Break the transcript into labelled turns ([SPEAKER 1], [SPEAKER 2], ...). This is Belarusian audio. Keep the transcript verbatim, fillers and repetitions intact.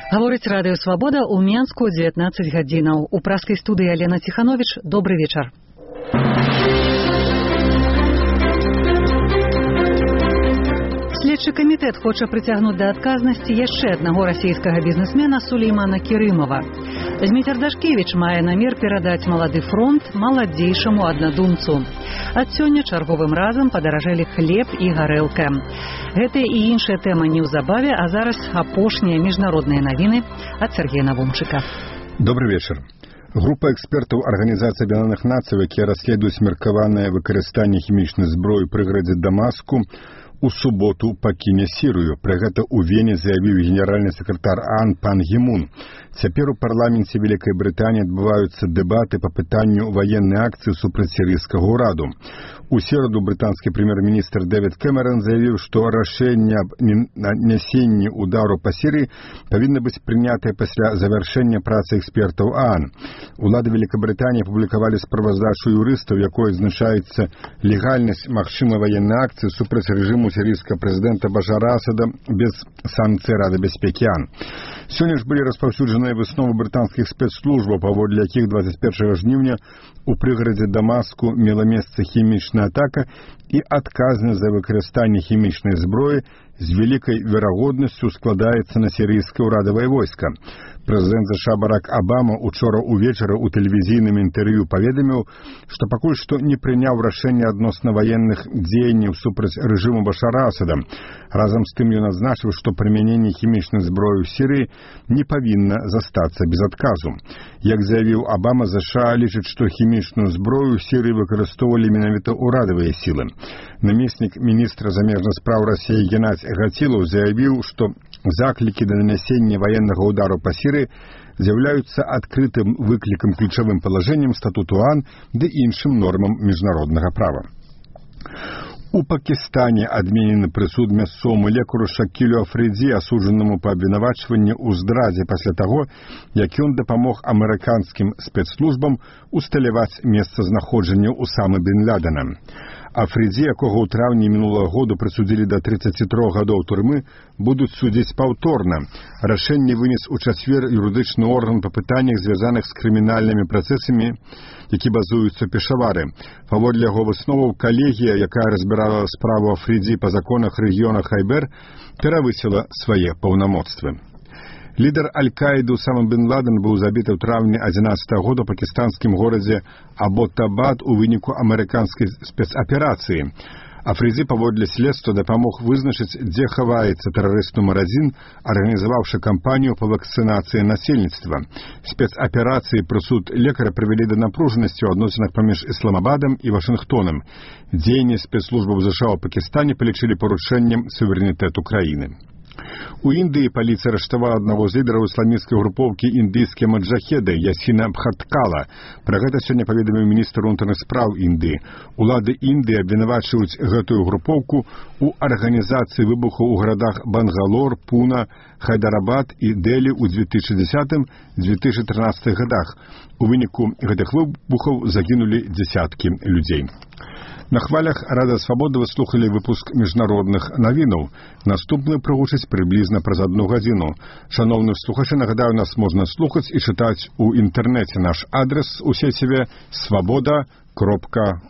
[SPEAKER 1] Гаворыць радыё «Свабода» ў Менску дзевятнаццаць гадзінаў. У праскай студыі Алена Ціхановіч. Добры вечар. Следчы камітэт хоча прыцягнуць да адказнасці яшчэ аднаго расійскага бізнесмена Сулеймана Керымова. Зміцер Дашкевіч мае намер перадаць малады фронт маладзейшаму аднадумцу. Ад сёння чарговым разам падаражэлі хлеб і гарэлка. Гэтыя і іншыя тэмы неўзабаве, а зараз апошнія міжнародныя навіны ад Сергея Навумчыка.
[SPEAKER 2] Добрый вечер. Група экспертаў Арганізацыі Аб'яднаных Нацый, якія расследуюць меркаванае выкарыстанне хімічнай зброі ў прыградзе Дамаску, у суботу пакіне Сірыю. Пра гэта ў Вене заявіў генеральны сакратар ААН пан Гі Мун. Цяпер у парламенце Вялікай Брытаніі адбываюцца дэбаты па пытанню ваеннай акцыі супраць сірыйскага ўраду. У сераду брытанскі прэм'ер-міністр Дэвід Кэмерон заявіў, што рашэнне аб нясенні удару па Сірыі павінна быць прынятае пасля завяршэння працы экспертаў ААН. Улады Вялікабрытаніі апублікавалі справаздачу юрыстаў, якой адзначаецца легальнасць магчымай ваеннай акцыі супраць рэжыму сірыйскага прэзідэнта Башара Асада без санкцый Рады бяспекі ААН. Сёння ж былі распаўсюджаныя высновы брытанскіх спецслужбаў, паводле якіх двадцять першага жніўня у прыгарадзе Дамаску мела месца хімічная атака і адказнасць за выкарыстанне хімічнай зброі з вялікай верагоднасцю складаецца на сірыйскае ўрадавае войска. Прэзідэнт ЗША Барак Абама учора ўвечары ў тэлевізійным інтэрв'ю паведаміў, што пакуль што не прыняў рашэнне адносна ваенных дзеянняў супраць рэжыму Башара Асада. Разам з тым ён адзначыў, што прымяненне хімічнай зброі ў Сірыі не павінна застацца без адказу. Як заявіў Абама, ЗША лічыць, што хімічную зброю ў Сірыі выкарыстоўвалі менавіта ўрадавыя сілы. Намеснік міністра замежных спраў Расіі Геннадзь Гацілаў заявіў, што заклікі да нанясення ваеннага ўдару па Сірыі з'яўляюцца адкрытым выклікам ключавым палажэннем статуту ААН ды іншым нормам міжнароднага права. У Пакістане адменены прысуд мясцоваму лекару Шакілю Афридзі, асуджанаму па абвінавачванні ў здрадзе пасля таго, як ён дапамог амерыканскім спецслужбам усталяваць месцазнаходжанне Усамы бен Ладена. Афридзі, якога ў траўні мінулага году прысудзілі да трыццаці трох гадоў турмы, будуць судзіць паўторна. Рашэнне вынес у чацвер юрыдычны орган па пытаннях, звязаных з крымінальнымі працэсамі, які базуюцца ў Пешавары. Паводле яго высноваў, калегія, якая разбірала справу Афридзі па законах рэгіёна Хайбер, перавысіла свае паўнамоцтвы. Лідар Аль-Каіды Усама бен Ладен быў забіты ў траўні адзінаццатага года ў пакістанскім горадзе Абботабад у выніку амерыканскай спецаперацыі. Афридзі, паводле следства, дапамог вызначыць, дзе хаваецца тэрарыст нумар адзін, арганізаваўшы кампанію па вакцынацыі насельніцтва. Спецаперацыі прысуд лекара прывялі да напружанасці ў адносінах паміж Ісламабадам і Вашынгтонам. Дзеянні спецслужбаў ЗША ў Пакістане палічылі парушэннем суверэнітэту краіны. У Індыі паліцыя арыштавала аднаго з лідараў ісламісцкай групоўкі індыйскія маджахеды Ясіна Бхаткала. Пра гэта сёння паведаміў міністр унутраных спраў Індыі. Улады Індыі абвінавачваюць гэтую групоўку ў арганізацыі выбухаў у гарадах Бангалор, Пуна, Хайдарабад і Дэлі ў дзве тысячы дзесятым - дзве тысячы трынаццатых гадах. У выніку гэтых выбухаў загінулі дзясяткі людзей. На хвалях Радыё Свабода вы слухалі выпуск міжнародных навінаў. Наступны прагучыць прыблізна праз адну гадзіну. Шаноўны слухачы, нагадаю, нас можна слухаць і чытаць у інтэрнэце. Наш адрес у сеціве свабода кропка